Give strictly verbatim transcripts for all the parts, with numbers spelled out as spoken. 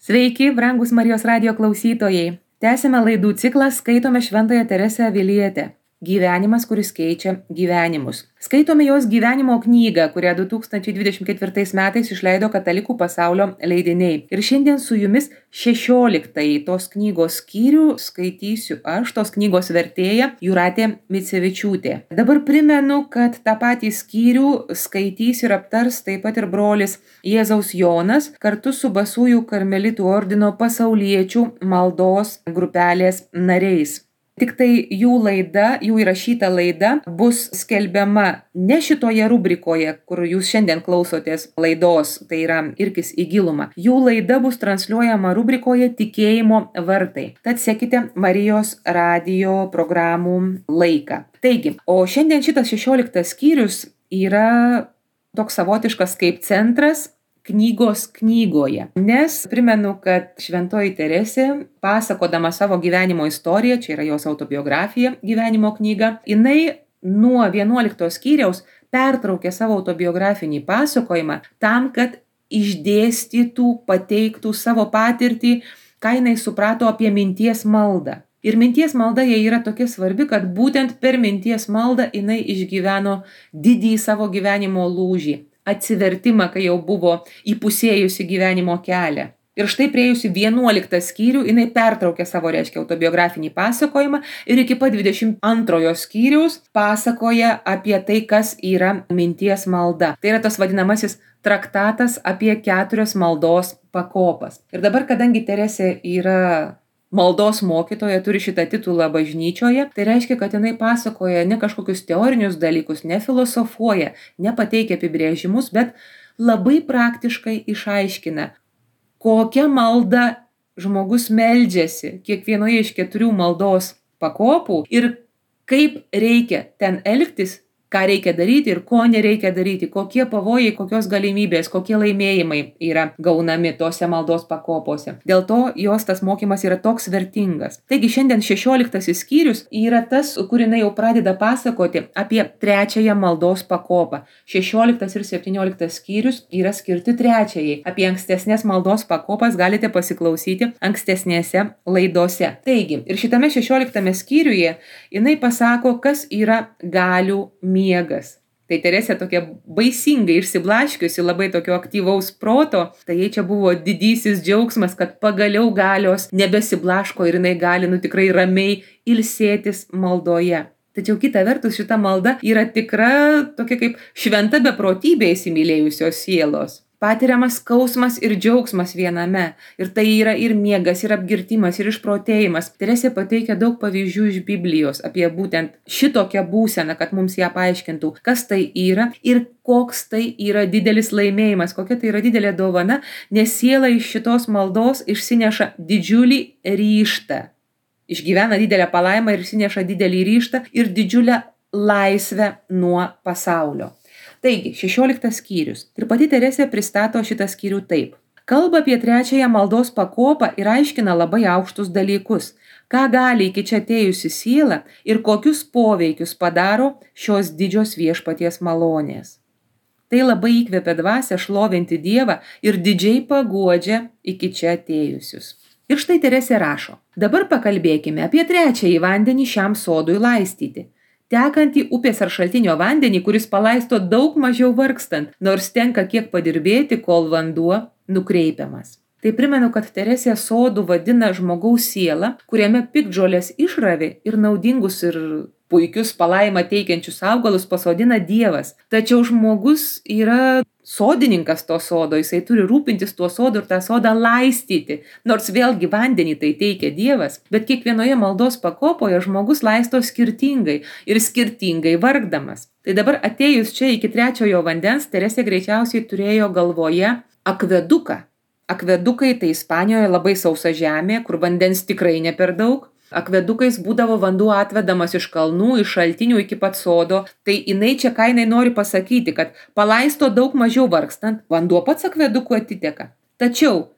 Sveiki, brangus Marijos radijo klausytojai. Tęsime laidų ciklą Skaitome Šventąją Teresę Avilietę. Gyvenimas, kuris keičia gyvenimus. Skaitome jos gyvenimo knygą, kurią du tūkstančiai dvidešimt ketvirtais metais išleido Katalikų pasaulio leidiniai. Ir šiandien su jumis šešioliktąjį tos knygos skyrių skaitysiu aš, tos knygos vertėja Jūratė Micevičiūtė. Dabar primenu, kad tą patį skyrių skaitys ir aptars taip pat ir brolis Jėzaus Jonas kartu su Basųjų karmelitų ordino pasauliečių maldos grupelės nariais. Tik tai jų laida, jų įrašyta laida bus skelbiama ne šitoje rubrikoje, kur jūs šiandien klausotės laidos, tai yra Irkis į gilumą. Jų laida bus transliuojama rubrikoje Tikėjimo vartai. Tad sekite Marijos radijo programų laiką. Taigi, o šiandien šitas šešioliktas skyrius yra toks savotiškas kaip centras knygos knygoje. Nes primenu, kad Šventoji Teresė, pasakodama savo gyvenimo istoriją, čia yra jos autobiografija, gyvenimo knyga, jinai nuo vienuoliktos skyriaus pertraukė savo autobiografinį pasakojimą tam, kad išdėstytų, pateiktų savo patirtį, ką jinai suprato apie minties maldą. Ir minties malda jai yra tokia svarbi, kad būtent per minties maldą jinai išgyveno didįjį savo gyvenimo lūžį. Atsivertimą, kai jau buvo įpusėjusi gyvenimo kelią. Ir štai priėjusi vienuoliktą skyrių, jinai pertraukė savo, reiškia, autobiografinį pasakojimą ir iki pat dvidešimt antrojo skyriaus pasakoja apie tai, kas yra minties malda. Tai yra tas vadinamasis traktatas apie keturias maldos pakopas. Ir dabar, kadangi Teresė yra maldos mokytoja, turi šitą titulą bažnyčioje, tai reiškia, kad jinai pasakoja ne kažkokius teorinius dalykus, ne filosofuoja, nepateikia apibrėžimus, bet labai praktiškai išaiškina, kokią maldą žmogus meldžiasi kiekvienoje iš keturių maldos pakopų ir kaip reikia ten elgtis, ką reikia daryti ir ko nereikia daryti, kokie pavojai, kokios galimybės, kokie laimėjimai yra gaunami tose maldos pakopose. Dėl to jos tas mokymas yra toks vertingas. Taigi šiandien šešioliktasis skyrius yra tas, kur jinai jau pradeda pasakoti apie trečiąją maldos pakopą. šešioliktas ir septynioliktas skyrius yra skirti trečiajai. Apie ankstesnės maldos pakopas galite pasiklausyti ankstesnėse laidose. Taigi, ir šitame šešioliktame skyriuje jinai pasako, kas yra galių miegas. Tai Teresė tokia baisingai išsiblaškiusi, labai tokio aktyvaus proto, tai jai čia buvo didysis džiaugsmas, kad pagaliau galios nebesiblaško ir jinai gali nu tikrai ramiai ilsėtis maldoje. Tačiau kita vertus šita malda yra tikra tokia kaip šventa beprotybė įsimylėjusios sielos. Patiriamas skausmas ir džiaugsmas viename. Ir tai yra ir miegas, ir apgirtimas, ir išprotėjimas. Teresė pateikia daug pavyzdžių iš Biblijos apie būtent šitokią būseną, kad mums ją paaiškintų, kas tai yra ir koks tai yra didelis laimėjimas, kokia tai yra didelė dovana, nes siela iš šitos maldos išsineša didžiulį ryžtą. Išgyvena didelę palaimą ir išsineša didelį ryžtą ir didžiulę laisvę nuo pasaulio. Taigi, šešioliktas skyrius. Ir pati Teresė pristato šitą skyrių taip. Kalba apie trečiąją maldos pakopą ir aiškina labai aukštus dalykus, ką gali iki čia atėjusi siela ir kokius poveikius padaro šios didžios viešpaties malonės. Tai labai įkvepia dvasią šlovinti Dievą ir didžiai paguodžia iki čia atėjusius. Ir štai Teresė rašo. Dabar pakalbėkime apie trečiąjį vandenį šiam sodui laistyti. Tekantį upės ar šaltinio vandenį, kuris palaisto daug mažiau vargstant, nors tenka kiek padirbėti, kol vanduo nukreipiamas. Tai primenu, kad Teresė sodų vadina žmogaus sielą, kuriame piktžolės išravi ir naudingus ir puikius palaimą teikiančius augalus pasodina Dievas. Tačiau žmogus yra sodininkas to sodo, jisai turi rūpintis tuo sodu ir tą sodą laistyti. Nors vėlgi vandenį tai teikia Dievas, bet kiekvienoje maldos pakopoje žmogus laisto skirtingai ir skirtingai vargdamas. Tai dabar atėjus čia iki trečiojo vandens, Teresė greičiausiai turėjo galvoje akveduką. Akvedukai tai Ispanijoje labai sausa žemė, kur vandens tikrai ne per daug. Akvedukais būdavo vanduo atvedamas iš kalnų, iš šaltinių iki pat sodo, tai jinai čia ką jinai nori pasakyti, kad palaisto daug mažiau vargstant, vanduo pats akveduku atiteka. Tačiau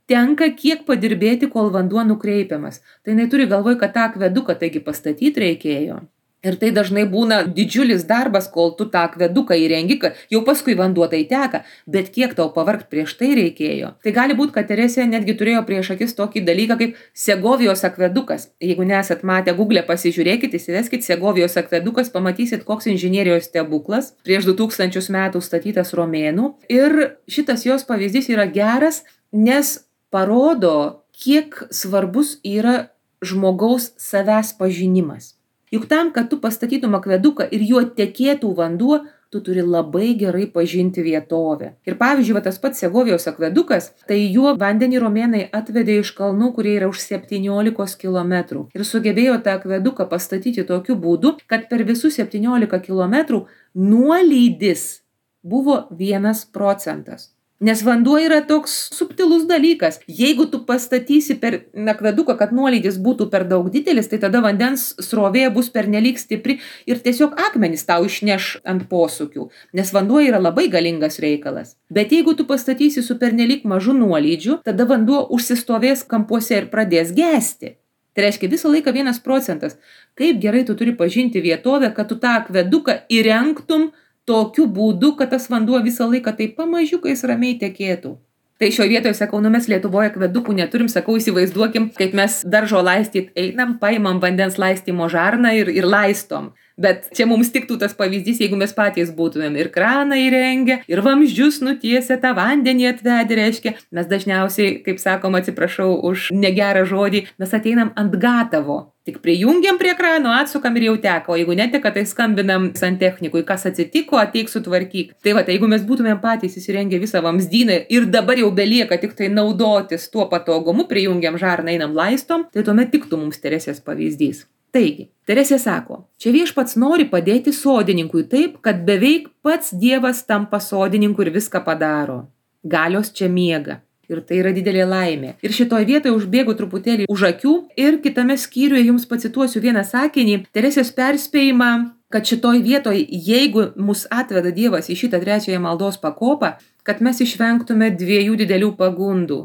tenka kiek padirbėti, kol vanduo nukreipiamas. Tai jinai turi galvoj, kad tą akveduką taigi pastatyti reikėjo. Ir tai dažnai būna didžiulis darbas, kol tu tą akveduką įrengi, kad jau paskui vanduo tai teka, bet kiek tau pavargt prieš tai reikėjo. Tai gali būti, kad Teresė netgi turėjo prieš akis tokį dalyką kaip Segovijos akvedukas. Jeigu nesat matę Google, pasižiūrėkit, įsiveskit Segovijos akvedukas, pamatysit, koks inžinierijos stebuklas prieš du tūkstančius metų statytas romėnų. Ir šitas jos pavyzdys yra geras, nes parodo, kiek svarbus yra žmogaus savęs pažinimas. Juk tam, kad tu pastatytum akveduką ir juo tekėtų vanduo, tu turi labai gerai pažinti vietovę. Ir pavyzdžiui, va, tas pats Segovijos akvedukas, tai juo vandenį romėnai atvedė iš kalnų, kurie yra už septyniolikos kilometrų. Ir sugebėjo tą akveduką pastatyti tokiu būdu, kad per visus septyniolika kilometrų nuolydis buvo vienas procentas. Nes vanduo yra toks subtilus dalykas. Jeigu tu pastatysi per akveduką, kad nuolydis būtų per daug didelis, tai tada vandens srovė bus pernelyg stipri ir tiesiog akmenys tau išneš ant posūkių, nes vanduo yra labai galingas reikalas. Bet jeigu tu pastatysi su pernelyg mažu nuolydžiu, tada vanduo užsistovės kampuose ir pradės gesti. Tai reiškia visą laiką vienas procentas. Kaip gerai tu turi pažinti vietovę, kad tu tą akveduką įrengtum tokiu būdu, kad tas vanduo visą laiką taip pamažiukais ramiai tekėtų. Tai šioje vietoje sakau, nu mes Lietuvoje akvedukų neturim, sakau, įsivaizduokim, kaip mes daržo laistyt einam, paimam vandens laistymo žarną ir, ir laistom. Bet čia mums tiktų tas pavyzdys, jeigu mes patys būtumėm ir kraną įrengę, ir vamzdžius nutiesę, tą vandenį atvedę, reiškia, mes dažniausiai, kaip sakom, atsiprašau už negerą žodį, mes ateinam ant gatavo. Tik prijungiam prie krano, atsukam ir jau teka, o jeigu neteka, tai skambinam santechnikui, kas atsitiko, ateik sutvarkyk. Tai va, tai jeigu mes būtumėm patys įsirengę visą vamzdyną ir dabar jau belieka tik tai naudotis tuo patogumu, prijungiam žarną, einam laistom, tai tuomet tiktų mums Teresės pavyzdys. Taigi, Teresė sako, čia viešpats nori padėti sodininkui taip, kad beveik pats Dievas tampa sodininku ir viską padaro. Galios čia miega. Ir tai yra didelė laimė. Ir šitoj vietoje užbėgu truputėlį už akių ir kitame skyriuje jums pacituosiu vieną sakinį, Teresės perspėjimą, kad šitoj vietoje, jeigu mus atveda Dievas į šitą trečiąją maldos pakopą, kad mes išvengtume dviejų didelių pagundų.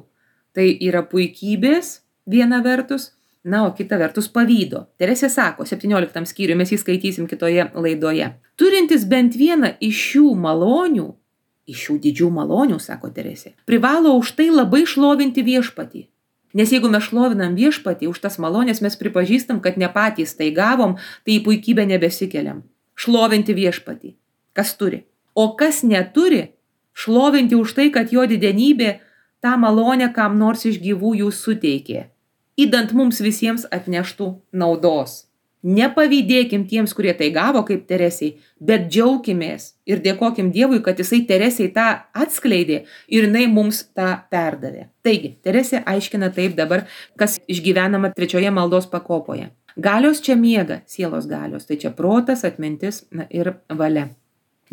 Tai yra puikybės viena vertus, na, o kita vertus pavydo. Teresė sako, septynioliktam skyriui, mes jį skaitysim kitoje laidoje. Turintis bent vieną iš šių malonių, iš šių didžių malonių, sako Teresė, privalo už tai labai šlovinti viešpatį. Nes jeigu mes šlovinam viešpatį už tas malonės, mes pripažįstam, kad ne patys tai gavom, tai į puikybę nebesikeliam. Šlovinti viešpatį. Kas turi? O kas neturi, šlovinti už tai, kad jo didenybė tą malonę kam nors iš gyvųjų suteikė. Įdant mums visiems atneštų naudos. Nepavydėkim tiems, kurie tai gavo kaip Teresiai, bet džiaukimės ir dėkokim Dievui, kad jisai Teresiai tą atskleidė ir jinai mums tą perdavė. Taigi, Teresė aiškina taip dabar, kas išgyvenama trečioje maldos pakopoje. Galios čia miega, sielos galios, tai čia protas, atmintis na, ir valia.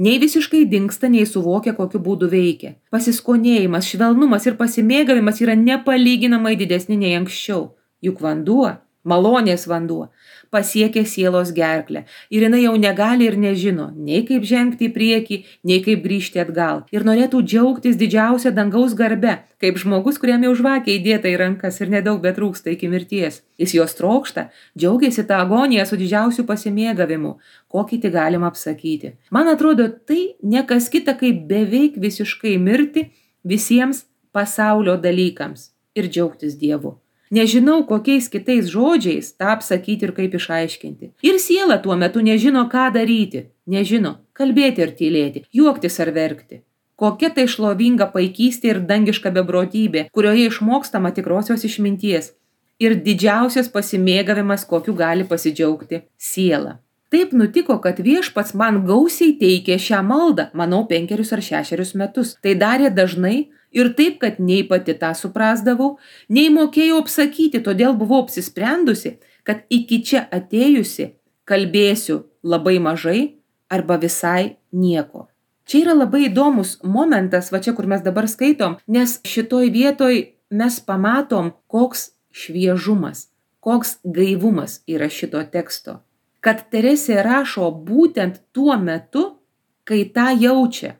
Nei visiškai dingsta, nei suvokia, kokiu būdu veikia. Pasiskonėjimas, švelnumas ir pasimėgavimas yra nepalyginamai didesni nei anksčiau. Juk vanduo, malonės vanduo, pasiekia sielos gerklę ir jinai jau negali ir nežino, nei kaip žengti į priekį, nei kaip grįžti atgal. Ir norėtų džiaugtis didžiausia dangaus garbe, kaip žmogus, kuriam jau žvakė įdėta į rankas ir nedaug betrūksta iki mirties. Jis jos trokšta, džiaugiasi tą agoniją su didžiausiu pasimėgavimu, kokį tik galima apsakyti. Man atrodo, tai ne kas kita, kaip beveik visiškai mirti visiems pasaulio dalykams ir džiaugtis Dievu. Nežinau, kokiais kitais žodžiais tą apsakyti ir kaip išaiškinti. Ir siela tuo metu nežino, ką daryti. Nežino, kalbėti ar tylėti, juoktis ar verkti. Kokia tai šlovinga paikystė ir dangiška beprotybė, kurioje išmokstama tikrosios išminties. Ir didžiausias pasimėgavimas, kokiu gali pasidžiaugti siela. Taip nutiko, kad viešpats man gausiai teikė šią maldą, manau, penkerius ar šešerius metus. Tai darė dažnai ir taip, kad nei pati tą suprasdavau, nei mokėjau apsakyti, todėl buvau apsisprendusi, kad iki čia atėjusi kalbėsiu labai mažai arba visai nieko. Čia yra labai įdomus momentas, va čia, kur mes dabar skaitom, nes šitoj vietoj mes pamatom, koks šviežumas, koks gaivumas yra šito teksto. Kad Teresė rašo būtent tuo metu, kai tą jaučia.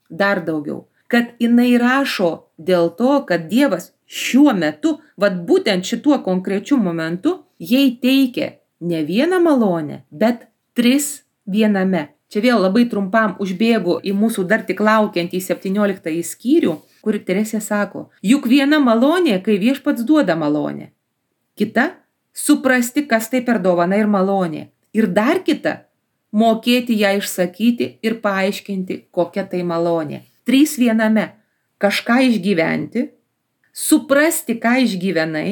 Dar daugiau. Kad jinai rašo dėl to, kad Dievas šiuo metu, vat būtent šituo konkrečiu momentu, jai teikia ne vieną malonę, bet Tris viename. Čia vėl labai trumpam užbėgu į mūsų dar tik laukiantį septynioliktąjį skyrių, kur Teresė sako, juk viena malonė, kai Viešpats duoda malonę. Kita – suprasti, kas tai per dovana ir malonė. Ir dar kita – mokėti ją išsakyti ir paaiškinti, kokia tai malonė. Trys viename – kažką išgyventi, suprasti, ką išgyvenai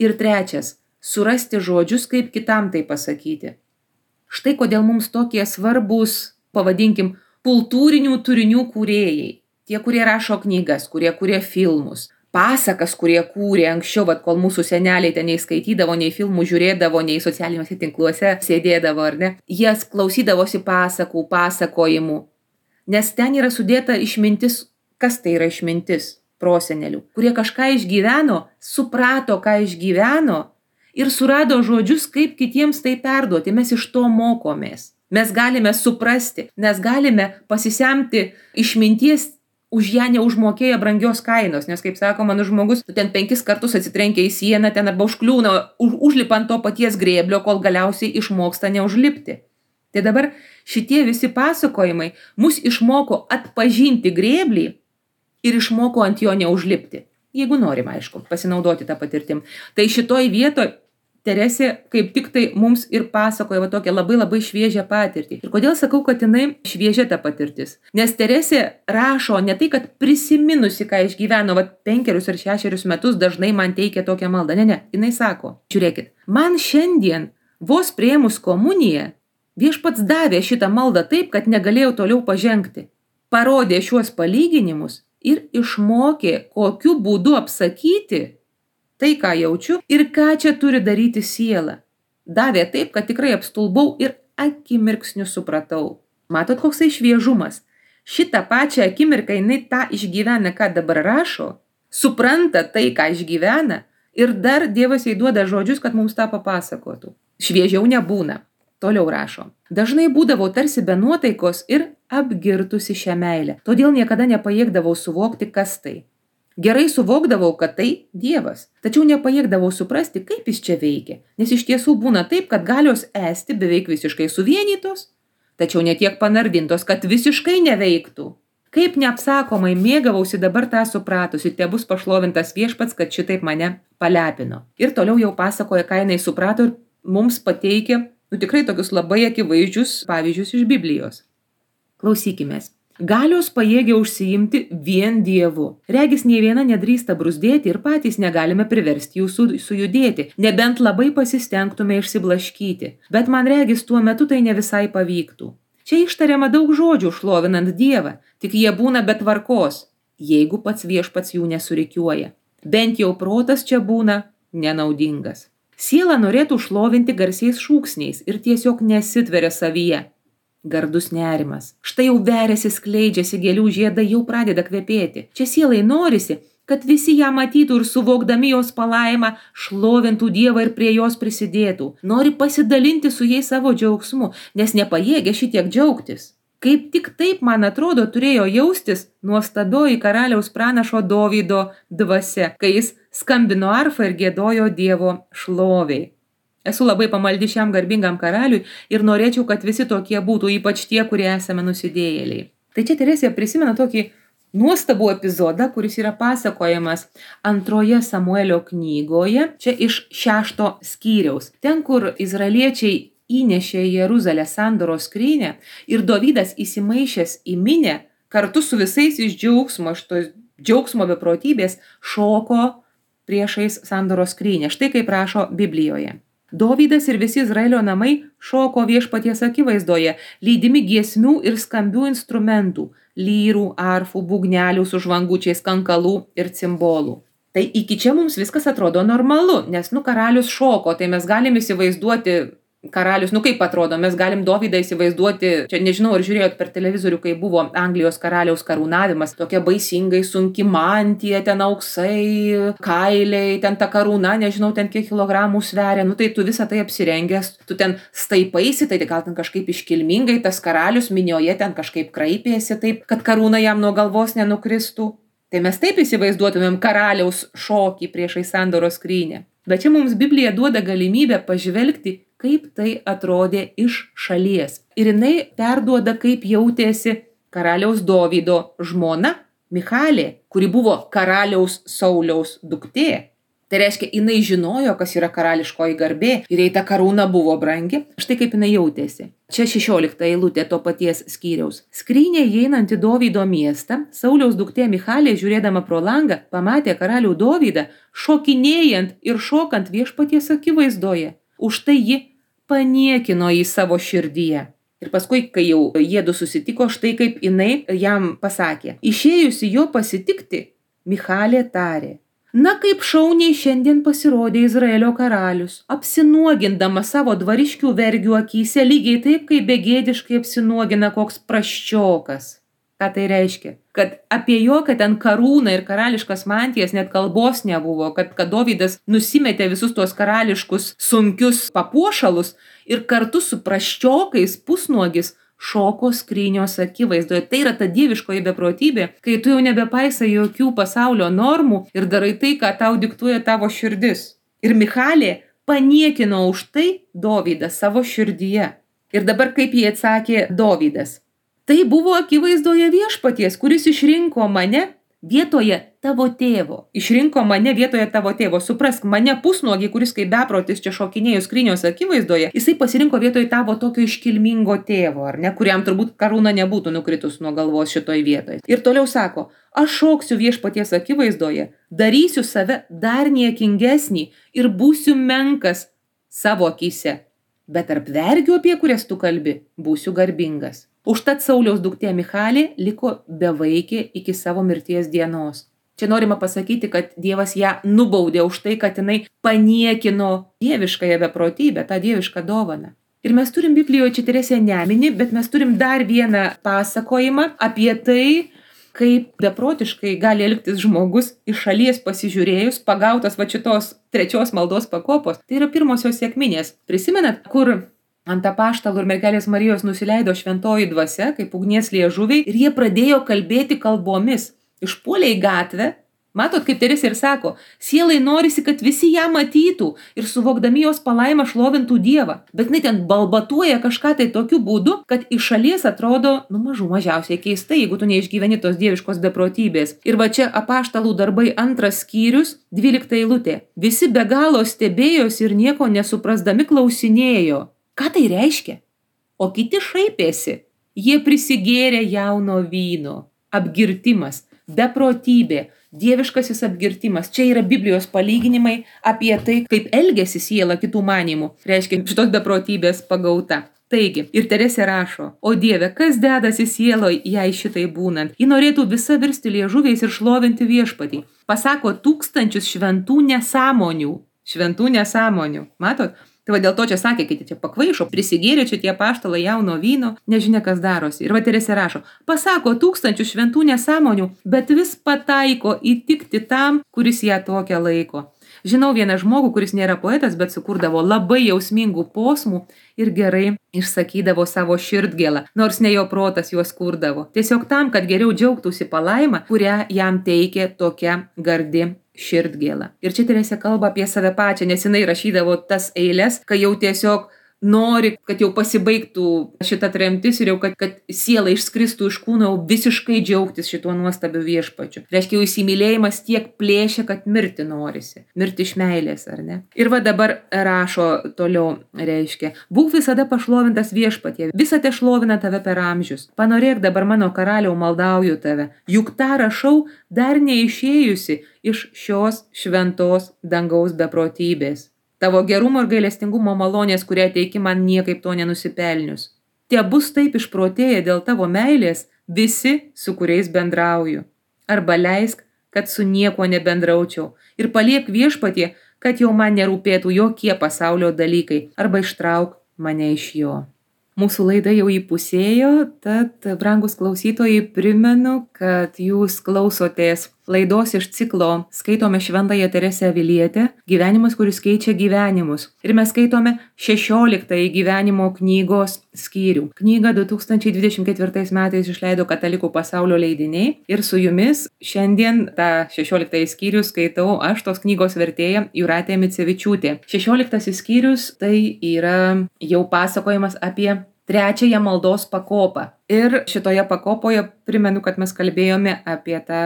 ir trečias – surasti žodžius, kaip kitam tai pasakyti. Štai kodėl mums tokie svarbus, pavadinkim, kultūrinių turinių kūrėjai. Tie, kurie rašo knygas, kurie kūrė filmus, pasakas, kurie kūrė anksčiau, vat, kol mūsų seneliai ten nei skaitydavo, nei filmų žiūrėdavo, nei socialiniuose tinkluose sėdėdavo, ar ne? Jie klausydavosi pasakų, pasakojimų, nes ten yra sudėta išmintis, kas tai yra išmintis prosenelių, kurie kažką išgyveno, suprato, ką išgyveno ir surado žodžius, kaip kitiems tai perduoti. Mes iš to mokomės. Mes galime suprasti, mes galime pasisemti išminties, už ją neužmokėję brangios kainos, nes, kaip sako mano žmogus, tu ten penkis kartus atsitrenkia į sieną, ten arba užkliūna, už, užlipant to paties grėblio, kol galiausiai išmoksta neužlipti. Tai dabar šitie visi pasakojimai mus išmoko atpažinti grėblį ir išmoko ant jo neužlipti. Jeigu norim, aišku, pasinaudoti tą patirtim. Tai šitoj vietoj Teresė kaip tik tai mums ir pasakoja va tokią labai labai šviežią patirtį. Ir kodėl sakau, kad jinai šviežia ta patirtis? Nes Teresė rašo ne tai, kad prisiminusi, ką išgyveno va penkerius ar šešerius metus, dažnai man teikia tokią maldą. Ne, ne, jinai sako, žiūrėkit, man šiandien vos priėmus komuniją, Viešpats davė šitą maldą taip, kad negalėjau toliau pažengti. Parodė šiuos palyginimus ir išmokė, kokiu būdu apsakyti tai, ką jaučiu ir ką čia turi daryti siela. Davė taip, kad tikrai apstulbau ir akimirksniu supratau. Matot, koksai šviežumas. Šitą pačią akimirką jinai tą išgyvena, ką dabar rašo, supranta tai, ką išgyvena ir dar Dievas jai duoda žodžius, kad mums tą papasakotų. Šviežiau nebūna. Toliau rašo. Dažnai būdavau tarsi be nuotaikos ir apgirtusi šią meilę. Todėl niekada nepajėgdavau suvokti, kas tai. Gerai suvokdavau, kad tai Dievas, tačiau nepajėgdavau suprasti, kaip jis čia veikia, nes iš tiesų būna taip, kad galios esti beveik visiškai suvienytos, tačiau netiek panardintos, kad visiškai neveiktų. Kaip neapsakomai mėgavausi dabar tą supratusi, tebus pašlovintas Viešpats, kad šitaip mane palepino. Ir toliau jau pasakoja, ką jinai suprato ir mums pateikia, nu tikrai tokius labai akivaizdžius pavyzdžius iš Biblijos. Klausykimės. Galios pajėgia užsiimti vien Dievu. Regis nei viena nedrįsta bruzdėti ir patys negalime priversti jų su, sujudėti, nebent labai pasistengtume išsiblaškyti. Bet man regis tuo metu tai ne visai pavyktų. Čia ištariama daug žodžių šlovinant Dievą, tik jie būna be tvarkos, jeigu pats Viešpats jų nesurikiuoja. Bent jau protas čia būna nenaudingas. Siela norėtų šlovinti garsiais šūksniais ir tiesiog nesitveria savyje. Gardus nerimas. Štai jau veriasi, skleidžiasi, gėlių žiedai jau pradeda kvepėti. Čia sielai norisi, kad visi ją matytų ir suvokdami jos palaimą, šlovintų Dievą ir prie jos prisidėtų. Nori pasidalinti su jais savo džiaugsmu, nes nepajėgia šitiek džiaugtis. Kaip tik taip, man atrodo, turėjo jaustis nuostabioji karaliaus pranašo Dovydo dvasia, kai jis skambino arfą ir giedojo Dievo šloviai. Esu labai pamaldi šiam garbingam karaliui ir norėčiau, kad visi tokie būtų, ypač tie, kurie esame nusidėjėliai. Tai čia Teresė prisimena tokį nuostabų epizodą, kuris yra pasakojamas antroje Samuelio knygoje, čia iš šešto skyriaus. Ten, kur izraeliečiai įnešė į Jeruzalę sandoros skrynią ir Dovydas įsimaišęs į minią, kartu su visais iš džiaugsmo, šitos džiaugsmo beprotybės, šoko priešais sandoros skrynią. Štai kaip rašo Biblijoje. Dovydas ir visi Izraelio namai šoko Viešpaties akivaizdoje, lydimi giesmių ir skambių instrumentų, lyrų, arfų, būgnelių su žvangučiais, kankalų ir cimbolų. Tai iki čia mums viskas atrodo normalu, nes, nu, karalius šoko, tai mes galim įsivaizduoti karalius, nu kaip atrodo, mes galim Dovydą įsivaizduoti, čia nežinau, ar žiūrėjot per televizorių, kai buvo Anglijos karaliaus karūnavimas, tokia baisingai sunki mantija, ten auksai, kailiai, ten ta karūna, nežinau, ten kiek kilogramų sveria, nu tai tu visą tai apsirengęs, tu ten staipaisi, tai gal ten kažkaip iškilmingai, tas karalius minioje ten kažkaip kraipėsi taip, kad karūna jam nuo galvos nenukristų. Tai mes taip įsivaizduotumėm karaliaus šokį priešai sandoros skrynią. Bet čia mums Biblija duoda galimybę pažvelgti kaip tai atrodė iš šalies. Ir jinai perduoda, kaip jautėsi karaliaus Dovydo žmona Michalė, kuri buvo karaliaus Sauliaus duktė. Tai reiškia, jinai žinojo, kas yra karališkoji garbė ir jei ta karūna buvo brangi, štai kaip jinai jautėsi. Čia šešiolikta eilutė to paties skyriaus. Skrynė įeinant į Dovydo miestą, Sauliaus duktė Michalė, žiūrėdama pro langą, pamatė karalių Dovydą, šokinėjant ir šokant viešpaties akivaizdoje. Už tai ji paniekino jį savo širdyje. Ir paskui, kai jau jiedu susitiko, štai kaip jinai jam pasakė. Išėjusi jo pasitikti, Michalė tarė: Na, kaip šauniai šiandien pasirodė Izraelio karalius, apsinuogindama savo dvariškių vergių akyse, lygiai taip, kaip begėdiškai apsinuogina koks prasčiokas. Ką tai reiškia? Kad apie jokią ten karūną ir karališkas mantijas net kalbos nebuvo, kad, kad Dovydas nusimetė visus tuos karališkus sunkius papuošalus ir kartu su prasčiokais pusnuogis šoko skrynios akivaizdoje. Tai yra ta dieviškoji beprotybė, kai tu jau nebepaisai jokių pasaulio normų ir darai tai, ką tau diktuoja tavo širdis. Ir Michalė paniekino už tai Dovydą savo širdyje. Ir dabar kaip jį atsakė Dovydas. Tai buvo akivaizdoje viešpaties, kuris išrinko mane vietoje tavo tėvo. Išrinko mane vietoje tavo tėvo. Suprask, mane pusnuogį, kuris kaip beprotis čia šokinėjo skrynios akivaizdoje, jisai pasirinko vietoje tavo tokio iškilmingo tėvo, ar ne, kuriam turbūt karūna nebūtų nukritus nuo galvos šitoj vietoje. Ir toliau sako, aš šoksiu viešpaties akivaizdoje, darysiu save dar niekingesnį ir būsiu menkas savo akyse. Bet tarp vergių, apie kurias tu kalbi, būsiu garbingas. Užtat Sauliaus duktė Michalė liko bevaikė iki savo mirties dienos. Čia norima pasakyti, kad Dievas ją nubaudė už tai, kad jinai paniekino dieviškąją beprotybę, tą dievišką dovaną. Ir mes turim Biblijoje čia Teresę nemini, bet mes turim dar vieną pasakojimą apie tai, kaip beprotiškai gali elgtis žmogus iš šalies pasižiūrėjus, pagautas va šitos trečios maldos pakopos. Tai yra pirmosios sekminės. Prisimenat, kur ant apaštalų ir mergelės Marijos nusileido šventoji dvasia, kaip ugnies liežuviai, ir jie pradėjo kalbėti kalbomis. Išpuolė į gatvę. Matot, kaip Teresė ir sako, sielai norisi, kad visi ją matytų ir suvokdami jos palaimą šlovintų Dievą. Bet jinai ten balbatuoja kažką tai tokiu būdu, kad iš šalies atrodo, nu mažų mažiausiai keistai, jeigu tu neišgyveni tos dieviškos beprotybės. Ir va čia apaštalų darbai antras skyrius, dvylikta eilutė. Visi be galo stebėjosi ir nieko nesuprasdami klausinėjo. Ką tai reiškia? O kiti šaipėsi. Jie prisigėrė jauno vyno. Apgirtimas, beprotybė, dieviškasis apgirtimas. Čia yra Biblijos palyginimai apie tai, kaip elgesi siela kitų manymų. Reiškia, šitos beprotybės pagauta. Taigi, ir Teresė rašo, o Dieve, kas dedasi sieloj, jei šitai būnant? Ji norėtų visa virsti liežuviais ir šlovinti viešpatį. Pasako tūkstančius šventų nesąmonių. Šventų nesąmonių. Matot? Tai va dėl to čia sakė, kai čia pakvaišo, prisigėrė čia tie apaštalai jauno vyno, nežinia kas darosi. Ir va Teresė rašo, pasako tūkstančių šventų nesąmonių, bet vis pataiko įtikti tam, kuris ją tokią laiko. Žinau vieną žmogų, kuris nėra poetas, bet sukurdavo labai jausmingų posmų ir gerai išsakydavo savo širdgėlą, nors ne jo protas juos kurdavo. Tiesiog tam, kad geriau džiaugtųsi palaimą, kurią jam teikė tokia gardi širdgėla. Ir čia Teresė kalba apie save pačią, nes jinai rašydavo tas eiles, kai jau tiesiog nori, kad jau pasibaigtų šita tremtis ir jau kad, kad siela išskristų iš kūno, jau visiškai džiaugtis šituo nuostabiu viešpačiu. Reiškia, jau įsimylėjimas tiek plėšia, kad mirti norisi. Mirti iš meilės, ar ne? Ir va dabar rašo toliau, reiškia, būk visada pašlovintas viešpatie, visą te šlovina tave per amžius. Panorėk dabar mano karaliau, maldauju tave. Juk tą rašau dar neišėjusi iš šios šventos dangaus beprotybės. Tavo gerumo ir gailestingumo malonės, kurie teiki man niekaip to nenusipelnius. Tie bus taip išprotėję dėl tavo meilės visi, su kuriais bendrauju. Arba leisk, kad su niekuo nebendraučiau. Ir paliek viešpatie, kad jau man nerūpėtų jokie pasaulio dalykai. Arba ištrauk mane iš jo. Mūsų laida jau įpusėjo, tad, brangus klausytojai, primenu, kad jūs klausotės laidos iš ciklo Skaitome Šventąją Teresę Avilietę – Gyvenimas, kuris keičia gyvenimus. Ir mes skaitome šešioliktąjį gyvenimo knygos skyrių. Knygą du tūkstančiai dvidešimt ketvirtais metais išleido Katalikų pasaulio leidiniai. Ir su jumis šiandien tą šešioliktąjį skyrių skaitau aš, tos knygos vertėja Jūratė Micevičiūtė. šešioliktasis skyrius tai yra jau pasakojimas apie trečiąją maldos pakopą. Ir šitoje pakopoje primenu, kad mes kalbėjome apie tą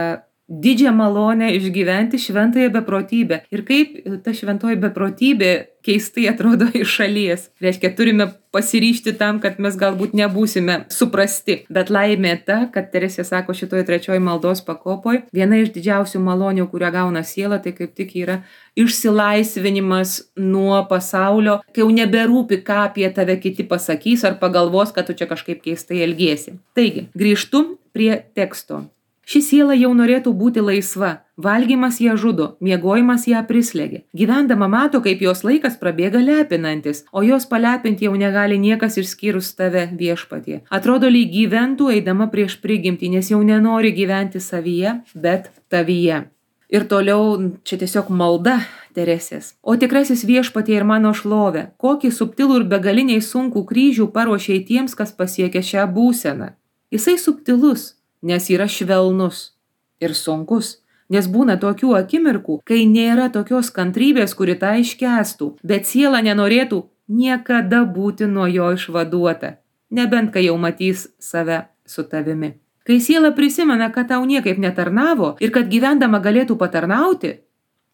didžią malonę išgyventi šventąją beprotybę. Ir kaip ta šventoji beprotybė keistai atrodo iš šalies. Reiškia, turime pasiryžti tam, kad mes galbūt nebūsime suprasti. Bet laimė ta, kad Teresė sako šitoje trečioji maldos pakopoj, viena iš didžiausių malonių, kurią gauna siela, tai kaip tik yra išsilaisvinimas nuo pasaulio, kai jau neberūpi, ką apie tave kiti pasakys ar pagalvos, kad tu čia kažkaip keistai elgiesi. Taigi, grįžtu prie teksto. Ši siela jau norėtų būti laisva, valgymas ją žudo, miegojimas ją prislėgia. Gyvendama mato, kaip jos laikas prabėga lepinantis, o jos palepinti jau negali niekas išskyrus tave, Viešpatie. Atrodo, lyg gyventų eidama prieš prigimtį, nes jau nenori gyventi savyje, bet tavyje. Ir toliau čia tiesiog malda Teresės. O tikrasis Viešpatie ir mano šlovė, kokį subtilų ir begaliniai sunkų kryžių paruošei tiems, kas pasiekia šią būseną. Jisai subtilus, nes yra švelnus ir sunkus, nes būna tokių akimirkų, kai nėra tokios kantrybės, kuri tą iškęstų, bet siela nenorėtų niekada būti nuo jo išvaduota, nebent kai jau matys save su tavimi. Kai siela prisimena, kad tau niekaip netarnavo ir kad gyvendama galėtų patarnauti,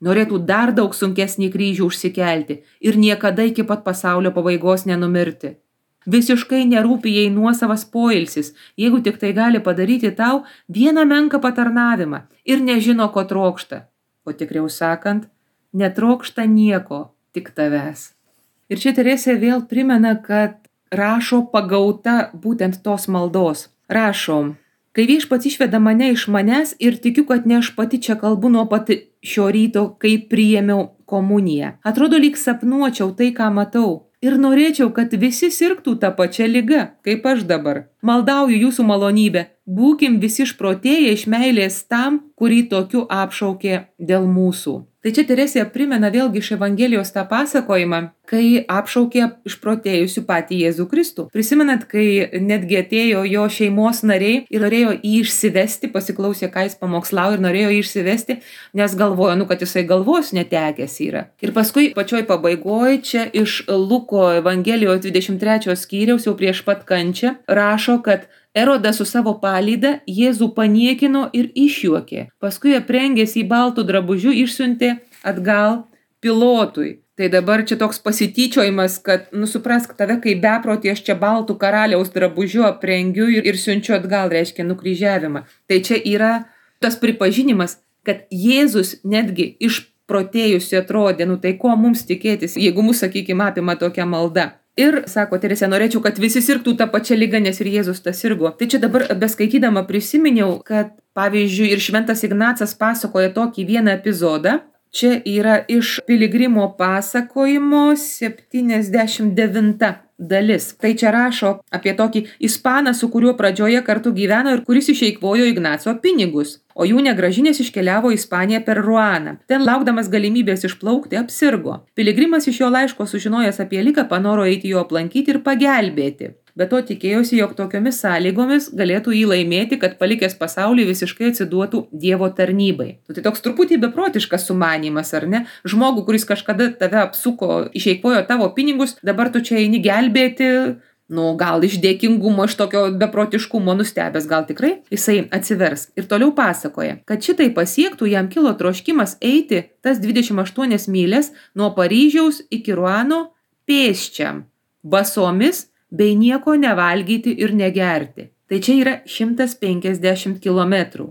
norėtų dar daug sunkesnį kryžių užsikelti ir niekada iki pat pasaulio pabaigos nenumirti. Visiškai nerūpi jai nuosavas poilsis, jeigu tik tai gali padaryti tau vieną menką patarnavimą ir nežino, ko trokšta. O tikriau sakant, netrokšta nieko, tik tavęs. Ir čia Teresė vėl primena, kad rašo pagauta būtent tos maldos. Rašo, kai Viešpats išveda mane iš manęs ir tikiu, kad ne aš pati čia kalbu nuo pat šio ryto, kai priėmiau komuniją. Atrodo, lyg sapnuočiau tai, ką matau. Ir norėčiau, kad visi sirgtų tą pačią ligą, kaip aš dabar. Maldauju jūsų malonybę, būkim visi išprotėję iš meilės tam, kurį tokiu apšaukė dėl mūsų. Tai čia Teresė primena vėlgi iš Evangelijos tą pasakojimą, kai apšaukė išprotėjusių patį Jėzų Kristų. Prisimenat, kai netgi atėjo jo šeimos nariai ir norėjo jį išsivesti, pasiklausė, ką jis pamokslavo ir norėjo jį išsivesti, nes galvojo, nu, kad jisai galvos netekęs yra. Ir paskui pačioj pabaigoj čia iš Luko Evangelijos dvidešimt trečio skyriaus jau prieš pat kančią rašo, kad Erodas su savo palyda Jėzų paniekino ir išjuokė. Paskui aprengęs į baltų drabužių išsiuntė atgal Pilotui. Tai dabar čia toks pasityčiojimas, kad, nu, suprask, tave kaip beprotį aš čia baltų karaliaus drabužių aprengiu ir, ir siunčiu atgal, reiškia nukryžiavimą. Tai čia yra tas pripažinimas, kad Jėzus netgi išprotėjusi atrodė, nu tai ko mums tikėtis, jeigu mus, sakykime, apima tokia malda. Ir, sako Teresė, norėčiau, kad visi sirgtų tą pačią ligą, nes ir Jėzus tas sirgo. Tai čia dabar beskaitydama prisiminiau, kad, pavyzdžiui, ir Šventas Ignacas pasakoja tokį vieną epizodą. Čia yra iš Piligrimo pasakojimo septyniasdešimt devinta dalis. Tai čia rašo apie tokį ispaną, su kuriuo pradžioje kartu gyveno ir kuris išeikvojo Ignaco pinigus, o jų negrąžinės iškeliavo į Ispaniją per Ruaną. Ten laukdamas galimybės išplaukti apsirgo. Piligrimas iš jo laiško sužinojęs apie ligą panoro eiti jo aplankyti ir pagelbėti. Be to tikėjosi, jog tokiomis sąlygomis galėtų jį laimėti, kad palikęs pasaulį visiškai atsiduotų Dievo tarnybai. Tai toks truputį beprotiškas sumanymas, ar ne? Žmogų, kuris kažkada tave apsuko, išeikvojo tavo pinigus, dabar tu čia eini gelbėti, nu gal iš dėkingumo, iš tokio beprotiškumo nustebęs, gal tikrai jisai atsivers. Ir toliau pasakoja, kad šitai pasiektų, jam kilo troškimas eiti tas dvidešimt aštuonias mylias nuo Paryžiaus iki Ruano pėsčiam, basomis, bei nieko nevalgyti ir negerti. Tai čia yra šimtas penkiasdešimt kilometrų.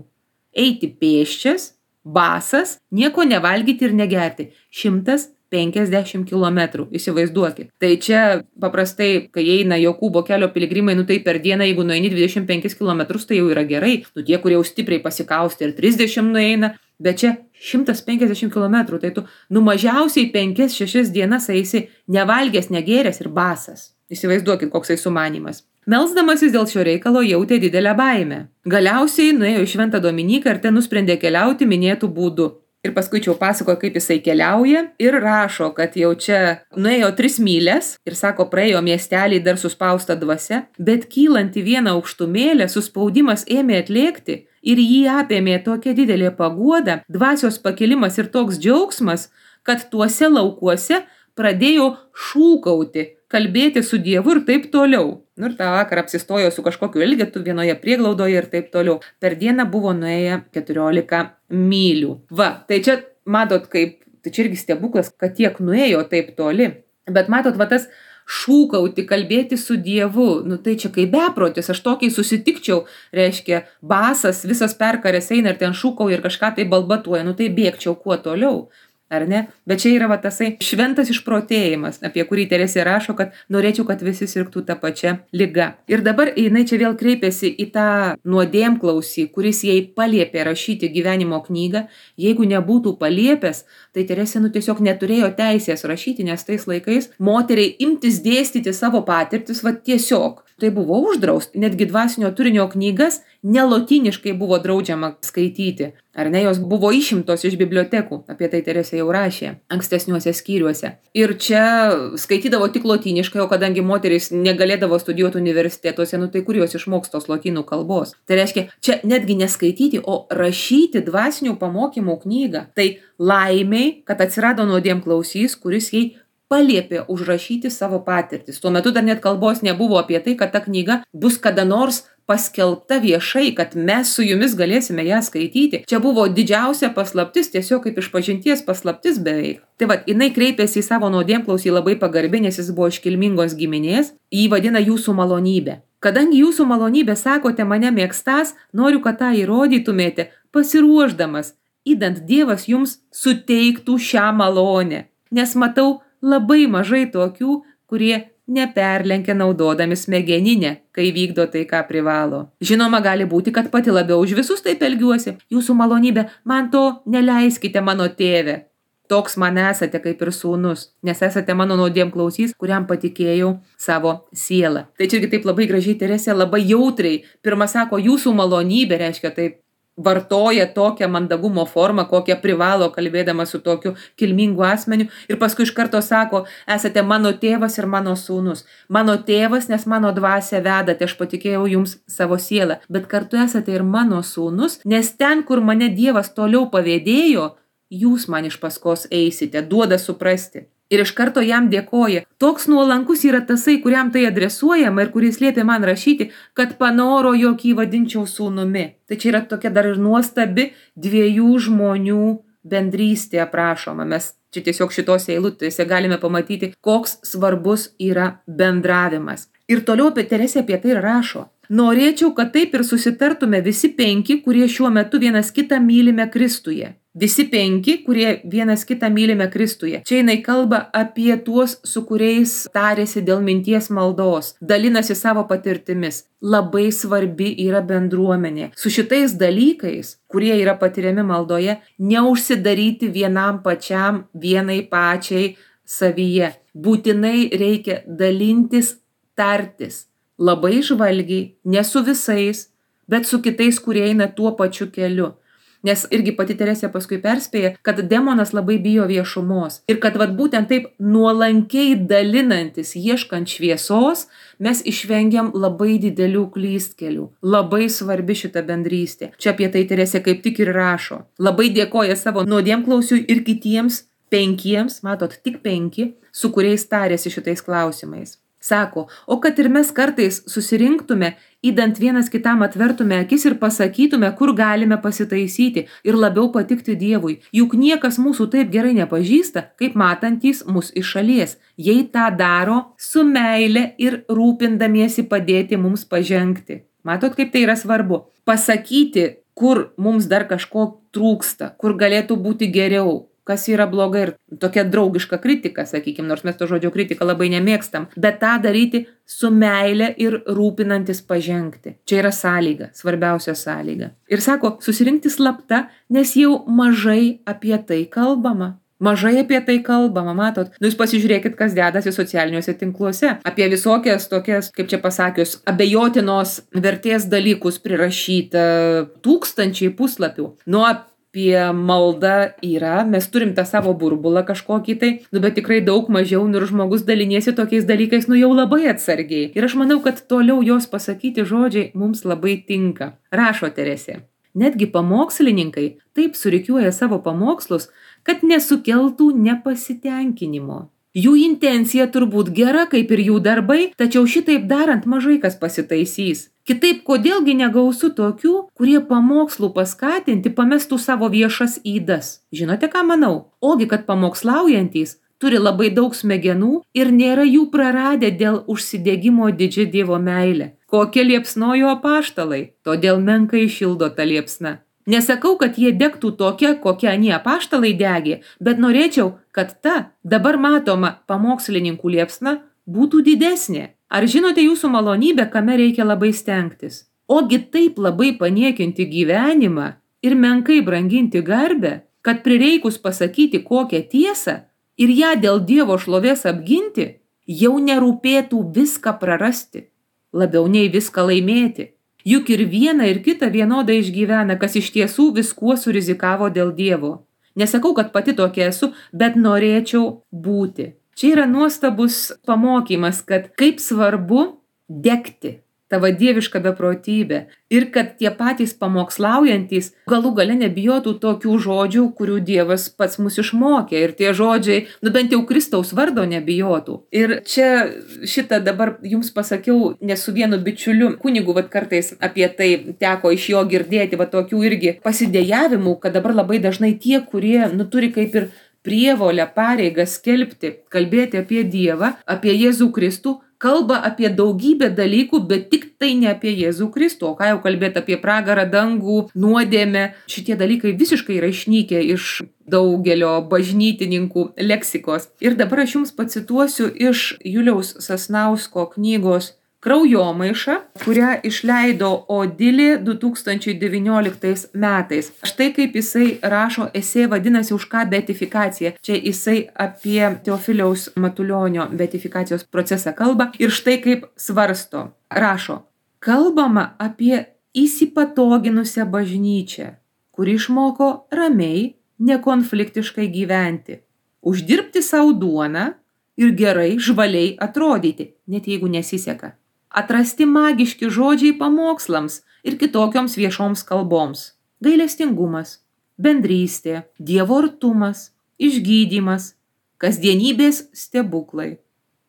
Eiti pėsčias, basas, nieko nevalgyti ir negerti. šimtas penkiasdešimt kilometrų, įsivaizduokit. Tai čia paprastai, kai eina Jokūbo kelio piligrimai, nu tai per dieną, jeigu nueini dvidešimt penkis kilometrus, tai jau yra gerai. Nu tie, kurie jau stipriai pasikausti ir trisdešimt nueina, bet čia šimtas penkiasdešimt kilometrų, tai tu nu mažiausiai penkias šešias dienas eisi nevalgęs, negėręs ir basas. Įsivaizduokit, koksai sumanymas. Melsdamasis dėl šio reikalo jautė didelę baimę. Galiausiai nuėjo į Šventą Dominiką ir ten nusprendė keliauti minėtų būdų. Ir paskui čia pasakoja, kaip jisai keliauja ir rašo, kad jau čia nuėjo tris mylias ir sako, praėjo miestelį dar suspausta dvasia, bet kylant į vieną aukštumėlę, suspaudimas ėmė atlėkti ir jį apėmė tokia didelė paguoda, dvasios pakilimas ir toks džiaugsmas, kad tuose laukuose pradėjo šūkauti, kalbėti su Dievu ir taip toliau. Nu ir tą vakarą apsistojo su kažkokiu elgetu vienoje prieglaudoje ir taip toliau. Per dieną buvo nuėję keturiolika mylių. Va, tai čia matot, kaip, tai čia irgi stebuklas, kad tiek nuėjo taip toli. Bet matot, va tas šūkauti, kalbėti su Dievu, nu tai čia kaip beprotis, aš tokiai susitikčiau, reiškia, basas, visas perkarės eina ir ten šūkauja ir kažką tai balbatuoja, nu tai bėgčiau kuo toliau. Ar ne? Bet čia yra va tasai šventas išprotėjimas, apie kurį Teresė rašo, kad norėčiau, kad visi sirgtų tą pačią ligą. Ir dabar jinai čia vėl kreipėsi į tą nuodėmklausį, kuris jai paliepė rašyti gyvenimo knygą. Jeigu nebūtų paliepęs, tai Teresė nu tiesiog neturėjo teisės rašyti, nes tais laikais moteriai imtis dėstyti savo patirtis, va tiesiog. Tai buvo uždrausta, netgi dvasinio turinio knygas nelotyniškai buvo draudžiama skaityti. Ar ne, jos buvo išimtos iš bibliotekų, apie tai Teresė jau rašė ankstesniuose skyriuose. Ir čia skaitydavo tik lotyniškai, o kadangi moterys negalėdavo studijuoti universitetuose, nu tai kur jos išmoks tos lotynų kalbos. Tai reiškia, čia netgi neskaityti, o rašyti dvasinių pamokymų knygą. Tai laimiai, kad atsirado nuodėmklausys, kuris jai paliepė užrašyti savo patirtis. Tuo metu dar net kalbos nebuvo apie tai, kad ta knyga bus kada nors paskelbta viešai, kad mes su jumis galėsime ją skaityti. Čia buvo didžiausia paslaptis, tiesiog kaip išpažinties paslaptis beveik. Tai va, jinai kreipėsi į savo nuodėmklausį labai pagarbiai, nes jis buvo iš kilmingos giminės, jį vadina jūsų malonybė. Kadangi jūsų malonybė sakote mane mėgstas, noriu, kad tą įrodytumėte, pasiruošdamas, idant Dievas jums suteiktų šią malonę. Nes matau labai mažai tokių, kurie neperlenkia naudodami smegeninę, kai vykdo tai, ką privalo. Žinoma, gali būti, kad pati labiau už visus taip elgiuosi. Jūsų malonybė, man to neleiskite, mano tėve. Toks man esate kaip ir sūnus, nes esate mano nuodėmklausys, kuriam patikėjau savo sielą. Tai čia irgi taip labai gražiai Teresė, labai jautriai. Pirma sako, jūsų malonybė, reiškia taip, vartoja tokią mandagumo formą, kokią privalo kalbėdama su tokiu kilmingu asmeniu. Ir paskui iš karto sako, esate mano tėvas ir mano sūnus. Mano tėvas, nes mano dvasia vedate, aš patikėjau jums savo sielą. Bet kartu esate ir mano sūnus, nes ten, kur mane Dievas toliau pavėdėjo, jūs man iš paskos eisite, duoda suprasti. Ir iš karto jam dėkoja. Toks nuolankus yra tasai, kuriam tai adresuojama ir kuris liepė man rašyti, kad panoro, jog jį vadinčiau sūnumi. Tai čia yra tokia dar ir nuostabi dviejų žmonių bendrystė aprašoma. Mes čia tiesiog šitose eilutėse galime pamatyti, koks svarbus yra bendravimas. Ir toliau apie Teresę apie tai rašo. Norėčiau, kad taip ir susitartume visi penki, kurie šiuo metu vienas kitą mylime Kristuje. Visi penki, kurie vienas kitą mylime Kristuje. Čia jinai kalba apie tuos, su kuriais tarėsi dėl minties maldos, dalinasi savo patirtimis. Labai svarbi yra bendruomenė. Su šitais dalykais, kurie yra patiriami maldoje, neužsidaryti vienam pačiam, vienai pačiai savyje. Būtinai reikia dalintis, tartis. Labai žvalgiai, ne su visais, bet su kitais, kurie eina tuo pačiu keliu. Nes irgi pati Teresė paskui perspėja, kad demonas labai bijo viešumos. Ir kad vat būtent taip nuolankiai dalinantis, ieškant šviesos, mes išvengiam labai didelių klystkelių. Labai svarbi šita bendrystė. Čia apie tai Teresė kaip tik ir rašo. Labai dėkoja savo nuodėmklausiui ir kitiems penkiems, matot, tik penki, su kuriais tarėsi šitais klausimais. Sako, o kad ir mes kartais susirinktume, įdant vienas kitam atvertume akis ir pasakytume, kur galime pasitaisyti ir labiau patikti Dievui. Juk niekas mūsų taip gerai nepažįsta, kaip matantys mus iš šalies. Jei tą daro su meile ir rūpindamiesi padėti mums pažengti. Matot, kaip tai yra svarbu? Pasakyti, kur mums dar kažko trūksta, kur galėtų būti geriau. Kas yra blogai ir tokia draugiška kritika, sakykime, nors mes to žodžio kritiką labai nemėgstam, bet tą daryti su meile ir rūpinantis pažengti. Čia yra sąlyga, svarbiausia sąlyga. Ir sako, susirinkti slapta, nes jau mažai apie tai kalbama. Mažai apie tai kalbama, matot. Nu, jūs pasižiūrėkit, kas dedasi socialiniuose tinkluose. Apie visokias tokias, kaip čia pasakius, abejotinos vertės dalykus prirašyta tūkstančiai puslapių. Nu, apie maldą yra, mes turim tą savo burbulą kažkokį tai, nu, bet tikrai daug mažiau, nu, ir žmogus daliniesi tokiais dalykais, nu, jau labai atsargiai. Ir aš manau, kad toliau jos pasakyti žodžiai mums labai tinka. Rašo Teresė. Netgi pamokslininkai taip surikiuoja savo pamokslus, kad nesukeltų nepasitenkinimo. Jų intencija turbūt gera, kaip ir jų darbai, tačiau šitaip darant mažai kas pasitaisys. Kitaip, kodėlgi negausu tokių, kurie pamokslų paskatinti pamestų savo viešas ydas? Žinote, ką manau? Ogi, kad pamokslaujantys turi labai daug smegenų ir nėra jų praradę dėl užsidegimo didžia Dievo meilė. Kokie liepsnojo apaštalai, todėl menkai šildo ta liepsna. Nesakau, kad jie degtų tokia, kokia anie apaštalai degė, bet norėčiau, kad ta dabar matoma pamokslininkų liepsna būtų didesnė. Ar žinote jūsų malonybę, kame reikia labai stengtis? Ogi taip labai paniekinti gyvenimą ir menkai branginti garbę, kad prireikus pasakyti kokią tiesą ir ją dėl Dievo šlovės apginti, jau nerūpėtų viską prarasti, labiau nei viską laimėti. Juk ir viena ir kita vienodai išgyvena, kas iš tiesų viskuo surizikavo dėl Dievo. Nesakau, kad pati tokia esu, bet norėčiau būti. Čia yra nuostabus pamokymas, kad kaip svarbu degti tavo dievišką beprotybę ir kad tie patys pamokslaujantys galų gale nebijotų tokių žodžių, kurių Dievas pats mus išmokė. Ir tie žodžiai, nu bent jau Kristaus vardo nebijotų. Ir čia šitą dabar jums pasakiau, nes su vienu bičiuliu kunigu, vat kartais apie tai teko iš jo girdėti, va tokių irgi pasidėjavimų, kad dabar labai dažnai tie, kurie, nu turi kaip ir prievolę, pareigą skelbti, kalbėti apie Dievą, apie Jėzų Kristų, kalba apie daugybę dalykų, bet tik tai ne apie Jėzų Kristų. O ką jau kalbėti apie pragarą, dangų, nuodėmę. Šitie dalykai visiškai yra išnykę iš daugelio bažnytininkų leksikos. Ir dabar aš jums pacituosiu iš Juliaus Sasnausko knygos Kraujomaiša, kurią išleido Odilė du tūkstančiai devynioliktais metais. Štai kaip jisai rašo esė, vadinasi Už ką beatifikacija. Čia jisai apie Teofiliaus Matulionio beatifikacijos procesą kalba ir štai kaip svarsto. Rašo, kalbama apie įsipatoginusią bažnyčią, kuri išmoko ramiai, nekonfliktiškai gyventi, uždirbti savo duoną ir gerai, žvaliai atrodyti, net jeigu nesiseka. Atrasti magiški žodžiai pamokslams ir kitokioms viešoms kalboms. Gailestingumas, bendrystė, Dievo artumas, išgydymas, kasdienybės stebuklai.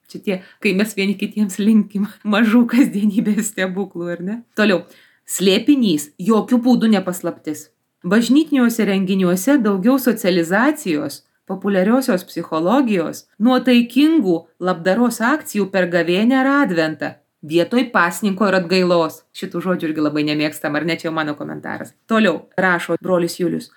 Čia tie, kai mes vieni kitiems linkim mažų kasdienybės stebuklų, ar ne? Toliau. Slėpinys, jokių būdų nepaslaptis. Bažnytiniuose renginiuose daugiau socializacijos, populiariosios psichologijos, nuotaikingų labdaros akcijų per gavėnią ar adventą. Vietoj pasninko ir atgailos. Šitų žodžių irgi labai nemėgstam, ar ne, čia jau mano komentaras. Toliau rašo brolis Julius.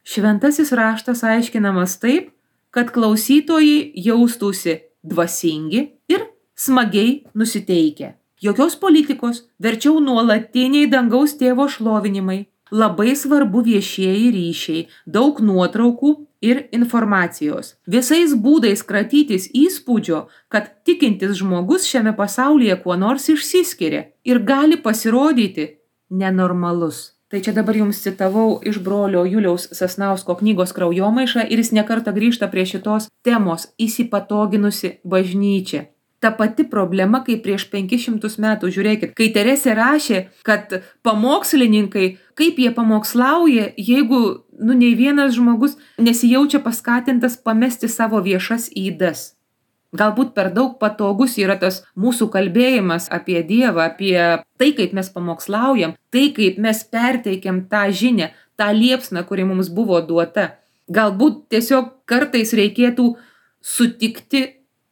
Šventasis raštas aiškinamas taip, kad klausytojai jaustųsi dvasingi ir smagiai nusiteikę. Jokios politikos, verčiau nuolatiniai dangaus tėvo šlovinimai. Labai svarbu viešieji ryšiai, daug nuotraukų ir informacijos. Visais būdais kratytis įspūdžio, kad tikintis žmogus šiame pasaulyje kuo nors išsiskiria ir gali pasirodyti nenormalus. Tai čia dabar jums citavau iš brolio Juliaus Sasnausko knygos Kraujomaiša ir jis nekartą grįžta prie šitos temos įsipatoginusi bažnyčia. Ta pati problema, kaip prieš penkis šimtus metų, žiūrėkit, kai Teresė rašė, kad pamokslininkai, kaip jie pamokslauja, jeigu, nu, nei vienas žmogus nesijaučia paskatintas pamesti savo viešas ydas. Galbūt per daug patogus yra tas mūsų kalbėjimas apie Dievą, apie tai, kaip mes pamokslaujam, tai, kaip mes perteikiam tą žinią, tą liepsną, kuri mums buvo duota. Galbūt tiesiog kartais reikėtų sutikti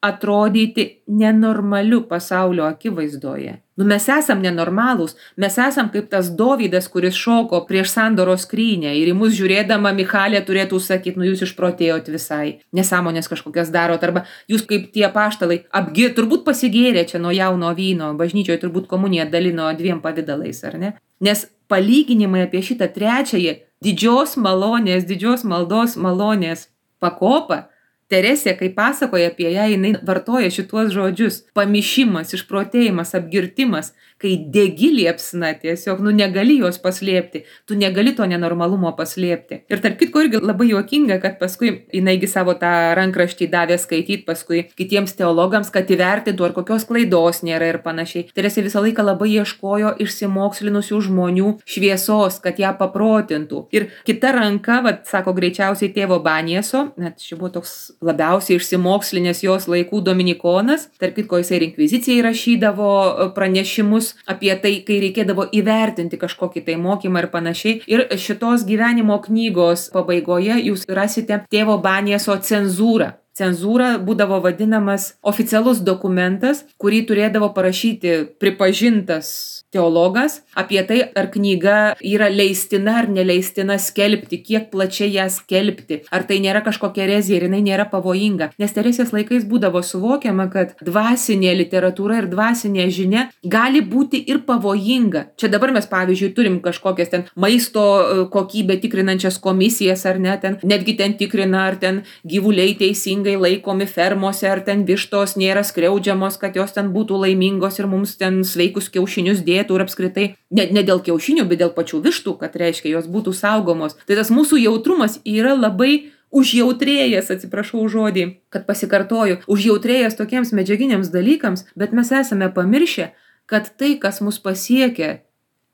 atrodyti nenormaliu pasaulio akivaizdoje. Nu, mes esam nenormalūs, mes esam kaip tas Dovydas, kuris šoko prieš sandoros skrynę ir į mus žiūrėdama Michalė turėtų sakyti, nu jūs išprotėjot visai, nesąmonės kažkokias darot, arba jūs kaip tie apaštalai, apgi, turbūt pasigėrė čia nuo jauno vyno, bažnyčioje turbūt komuniją dalino dviem pavidalais, ar ne? Nes palyginimai apie šitą trečiąją didžios malonės, didžios maldos malonės pakopą, Teresė, kai pasakoja apie ją, jinai vartoja šituos žodžius. Pamišimas, išprotėjimas, apgirtimas, kai degi liepsna tiesiog, nu negali jos paslėpti, tu negali to nenormalumo paslėpti. Ir tarp kitko irgi labai juokinga, kad paskui jinaigi savo tą rankraštį davė skaityti paskui kitiems teologams, kad įvertintų, ar kokios klaidos nėra ir panašiai. Teresė visą laiką labai ieškojo išsimokslinusių žmonių šviesos, kad ją paprotintų. Ir kita ranka, vat, sako greičiausiai tėvo Banieso, net čia buvo toks labiausiai išsimokslinės jos laikų dominikonas, tarp kitko jisai ir inkvizicijai rašydavo pranešimus apie tai, kai reikėdavo įvertinti kažkokį tai mokymą ir panašiai. Ir šitos gyvenimo knygos pabaigoje jūs rasite tėvo Banieso cenzūrą. Cenzūra būdavo vadinamas oficialus dokumentas, kurį turėdavo parašyti pripažintas teologas apie tai, ar knyga yra leistina ar neleistina skelbti, kiek plačiai ją skelbti, ar tai nėra kažkokia erezija ir jinai nėra pavojinga. Nes Teresės laikais būdavo suvokiama, kad dvasinė literatūra ir dvasinė žinia gali būti ir pavojinga. Čia dabar mes, pavyzdžiui, turim kažkokias ten maisto kokybę tikrinančias komisijas, ar ne, ten netgi ten tikrina, ar ten gyvuliai teisingai laikomi fermose, ar ten vištos nėra skriaudžiamos, kad jos ten būtų laimingos ir mums ten sveikus kiaušinius dėtų ir apskritai ne, ne dėl kiaušinių, bet dėl pačių vištų, kad reiškia, jos būtų saugomos. Tai tas mūsų jautrumas yra labai užjautrėjęs, atsiprašau žodį, kad pasikartoju, užjautrėjęs tokiems medžiaginiams dalykams, bet mes esame pamiršę, kad tai, kas mus pasiekia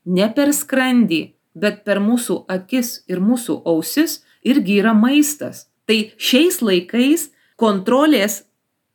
ne per skrandį, bet per mūsų akis ir mūsų ausis, irgi yra maistas. Tai šiais laikais kontrolės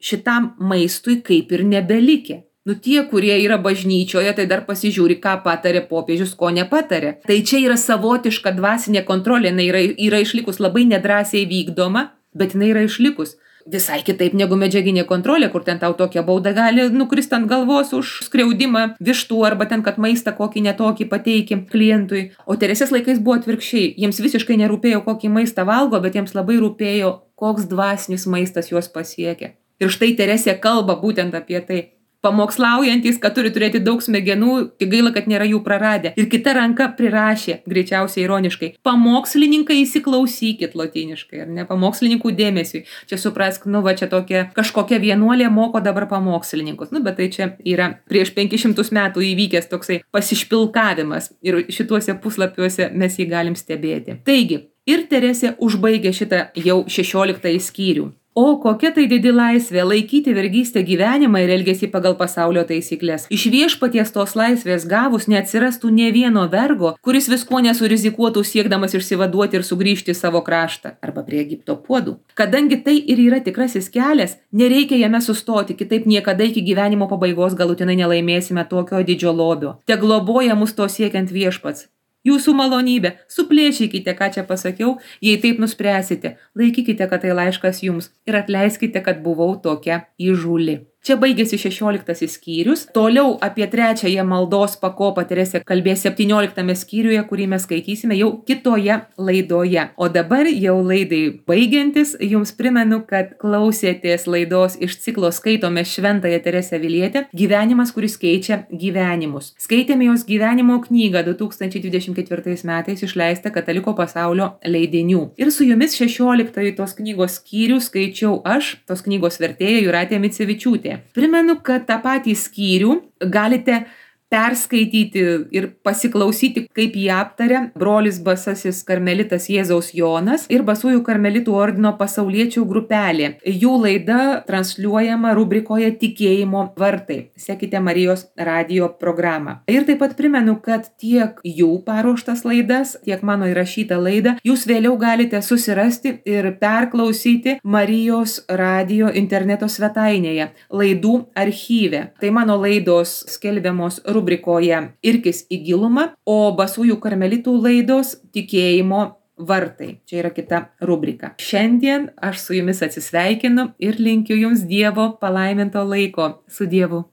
šitam maistui kaip ir nebelikė. Nu tie, kurie yra bažnyčioje, tai dar pasižiūri, ką patarė popiežius, ko nepatarė. Tai čia yra savotiška dvasinė kontrolė, jinai yra, yra išlikus labai nedrąsiai vykdoma, bet jinai yra išlikus. Visai kitaip negu medžiaginė kontrolė, kur ten tau tokia bauda gali nukrist ant galvos už skriaudimą vištų arba ten, kad maistą kokį netokį pateiki klientui. O Teresės laikais buvo atvirkščiai. Jiems visiškai nerūpėjo, kokį maistą valgo, bet jiems labai rūpėjo, koks dvasinis maistas juos pasiekia. Ir štai Teresė kalba būtent apie tai. Pamokslaujantis, kad turi turėti daug smegenų, tik gaila, kad nėra jų praradę. Ir kita ranka prirašė, greičiausiai ironiškai, pamokslininkai įsiklausykit lotyniškai, ar ne, pamokslininkų dėmesiui. Čia suprask, nu va čia tokia kažkokia vienuolė moko dabar pamokslininkus. Nu, bet tai čia yra prieš penkis šimtus metų įvykęs toksai pasišpilkavimas ir šituose puslapiuose mes jį galim stebėti. Taigi, ir Teresė užbaigė šitą jau šešioliktąjį skyrių. O kokia tai didi laisvė laikyti vergystę gyvenimą ir elgesį pagal pasaulio taisyklės. Iš viešpaties tos laisvės gavus neatsirastų nė vieno vergo, kuris visko nesurizikuotų siekdamas išsivaduoti ir sugrįžti į savo kraštą arba prie Egipto puodų. Kadangi tai ir yra tikrasis kelias, nereikia jame sustoti, kitaip niekada iki gyvenimo pabaigos galutinai nelaimėsime tokio didžio lobio. Te globoja mus to siekiant viešpats. Jūsų malonybė, suplėšykite, ką čia pasakiau, jei taip nuspręsite, laikykite, kad tai laiškas jums ir atleiskite, kad buvau tokia įžūli. Čia baigėsi šešioliktasis skyrius. Toliau apie trečiąją maldos pakopą Teresė kalbės septynioliktame skyriuje, kurį mes skaitysime jau kitoje laidoje. O dabar jau laidai baigiantis, jums primenu, kad klausėtės laidos iš ciklo Skaitome Šventąją Teresę Avilietę Gyvenimas, kuris keičia gyvenimus. Skaitėme jos gyvenimo knygą du tūkstančiai dvidešimt ketvirtais metais išleistą Kataliko pasaulio leidinių. Ir su jumis šešioliktąjį tos knygos skyrių skaičiau aš, tos knygos vertėja Jūratė Micevičiūtė. Primenu, kad tą patį skyrių galite perskaityti ir pasiklausyti, kaip jį aptarė brolis Basasis karmelitas Jėzaus Jonas ir Basųjų karmelitų ordino pasauliečių grupelė. Jų laida transliuojama rubrikoje Tikėjimo vartai. Sekite Marijos radijo programą. Ir taip pat primenu, kad tiek jų paruoštas laidas, tiek mano įrašytą laidą jūs vėliau galite susirasti ir perklausyti Marijos radijo interneto svetainėje, laidų archyve. Tai mano laidos skelbiamos rubrikoje Irkis į gilumą, o Basųjų karmelitų laidos Tikėjimo vartai. Čia yra kita rubrika. Šiandien aš su jumis atsisveikinu ir linkiu jums Dievo palaiminto laiko. Su Dievu.